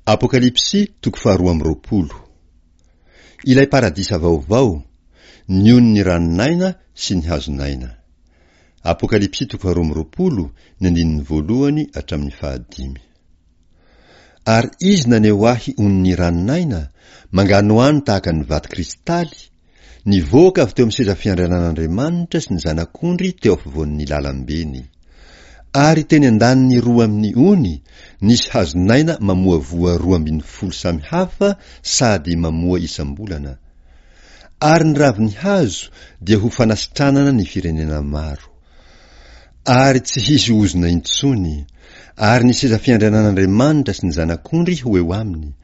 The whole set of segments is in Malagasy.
Apokalypsy toko faharoa amby roapolo. Ilay paradisa vaovao, ny onin'ny ranon'aina sy ny hazon'aina. Apokalypsy toko faharoa amby roapolo, ny andininy voalohany hatramin'ny fahadimy. Ary izy naneho ahy onin'ny ranon'aina, manganohano tahaka ny vato kristaly, Nivoaka avy teo amin'ny seza fiandrianan'Andriamanitra sy ny Zanak'ondry teo afovoan'ny lalambeny. Ary teny an-daniny roa amin'ny ony, nisy hazon'aina mamoa voa 12 samy hafa sady mamoa isam-bolana. Ary ny ravin'ny hazo dia ho fanasitranana ny firenena maro. Ary tsy hisy ozona intsony, ary ny seza fiandrianan'Andriamanitra sy ny Zanak'ondry ho eo aminy,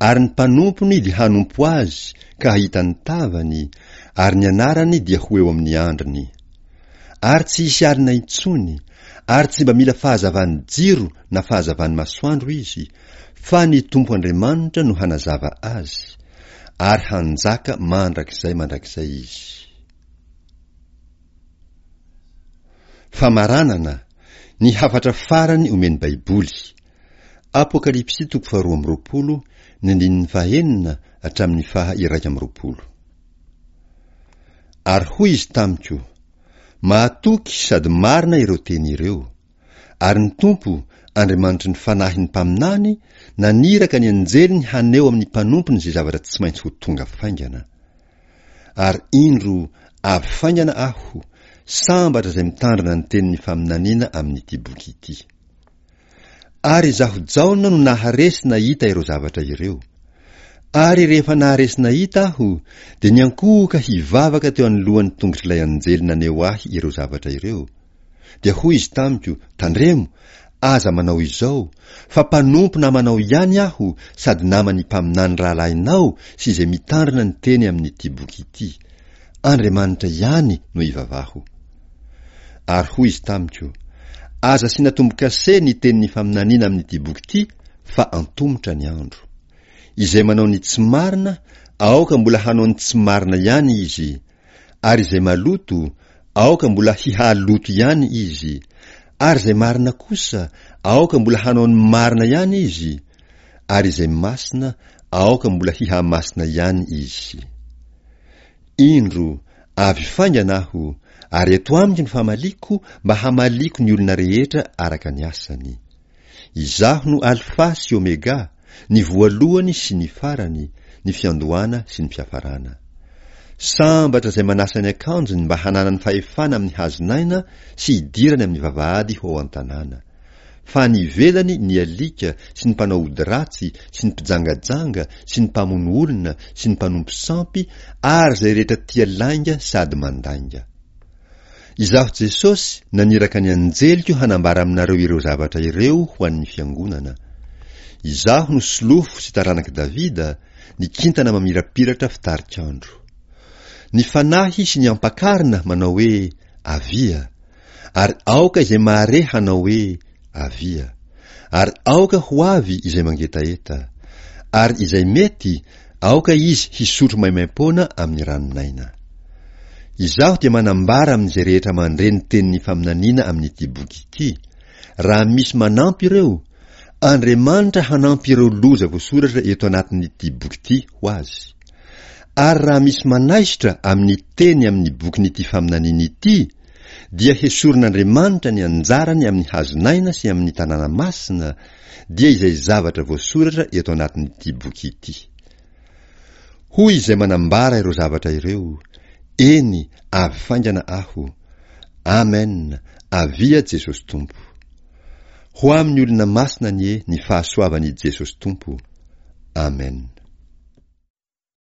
ary ny mpanompony dia hanompo azy ka hahita ny tavany, ary ny anarany dia ho eo amin'ny andriny. Ary tsy hisy alina intsony, ary tsy mba mila fahazavan'ny jiro na fahazavan'ny masoandro izy, fa ny Tompo Andriamanitra no hanazava azy, ary hanjaka mandrakizay mandrakizay izy. Famaranana, Ny hafatra farany omen'ny Baiboly. Apokalypsy toko faharoa amby roapolo, ny andininy fahenina hatramin'ny faha 21. Ary hoy izy tamiko, Mahatoky sady marina ireo teny ireo. Ary ny Tompo, Andriamanitry ny fanahin'ny mpaminany, naniraka ny anjeliny haneho amin'ny mpanompony izay zavatra tsy maintsy ho tonga faingana. Ary indro, avy faingana Aho, sambatra izay mitandrina ny tenin'ny faminaniana amin'ity boky ity. Ary izaho Jaona no nahare sy nahita ireo zavatra ireo. Ary rehefa nahare sy nahita aho, dia niankohoka hivavaka teo anoloan'ny tongotr'ilay anjely naneho ahy ireo zavatra ireo. Dia hoy izy tamiko, Tandremo, aza manao izao, fa mpanompo namanao ihany aho sady naman'ny mpaminany rahalahinao sy izay mitandrina ny teny amin'ity boky ity. Andriamanitra ihany no ivavaho. Ary hoy izy tamiko, Aza asiana tombo-kase ny tenin'ny faminaniana amin'ity boky ity, fa antomotra ny andro. Izay manao ny tsy marina, aoka mbola hanao ny tsy marina ihany izy, ary izay maloto, aoka mbola hihaloto ihany izy, ary izay marina kosa, aoka mbola hanao ny marina ihany izy, ary izay masina, aoka mbola hihamasina ihany izy. Indro, avy faingana aho, ary eto amiko ny famaliako mba hamaliako ny olona rehetra araka ny asany. Izaho no Alfa sy Omega, ny voalohany sy ny farany, ny fiandohana sy ny fiafarana. Sambatra izay manasa ny akanjony mba hananany fahefana amin'ny hazon'aina sy hidirany amin'ny vavahady ho ao an-tanàna. Fa any ivelany ny alika sy ny mpanao ody ratsy sy ny mpijangajanga sy ny mpamono olona sy ny mpanompo sampy ary izay rehetra tia lainga sady mandainga. Izaho Jesosy naniraka ny anjeliko hanambara aminareo ireo zavatra ireo ho an'ny fiangonana. Izaho no solofo sy taranak'i Davida, ny kintana mamirapiratra fitarik'andro. Ny Fanahy sy ny Ampakarina manao hoe, Avia! Ary aoka izay mahare hanao hoe, Avia! Ary aoka ho avy izay mangetaheta. Ary izay mety, aoka izy hisotro maimaimpoana amin'ny ranon'aina. Izaho dia manambara amin'izay rehetra mandre ny tenin'ny faminaniana amin'ity boky ity, raha misy manampy ireo, Andriamanitra hanampy ireo loza voasoratra eto anatin'ity boky ity ho azy. Ary raha misy manaisotra amin'ny teny amin'ny bokin'ity faminaniana ity, dia hesorin'Andriamanitra ny anjarany amin'ny hazon'aina sy amin'ny tanàna masina, dia izay zavatra voasoratra eto anatin'ity boky ity. Hoy izay manambara ireo zavatra ireo, Eny, avy faingana Aho. Amen, avia Jesosy Tompo. Ho amin'ny olona masina anie ny fahasoavan'i Jesosy Tompo. Amen.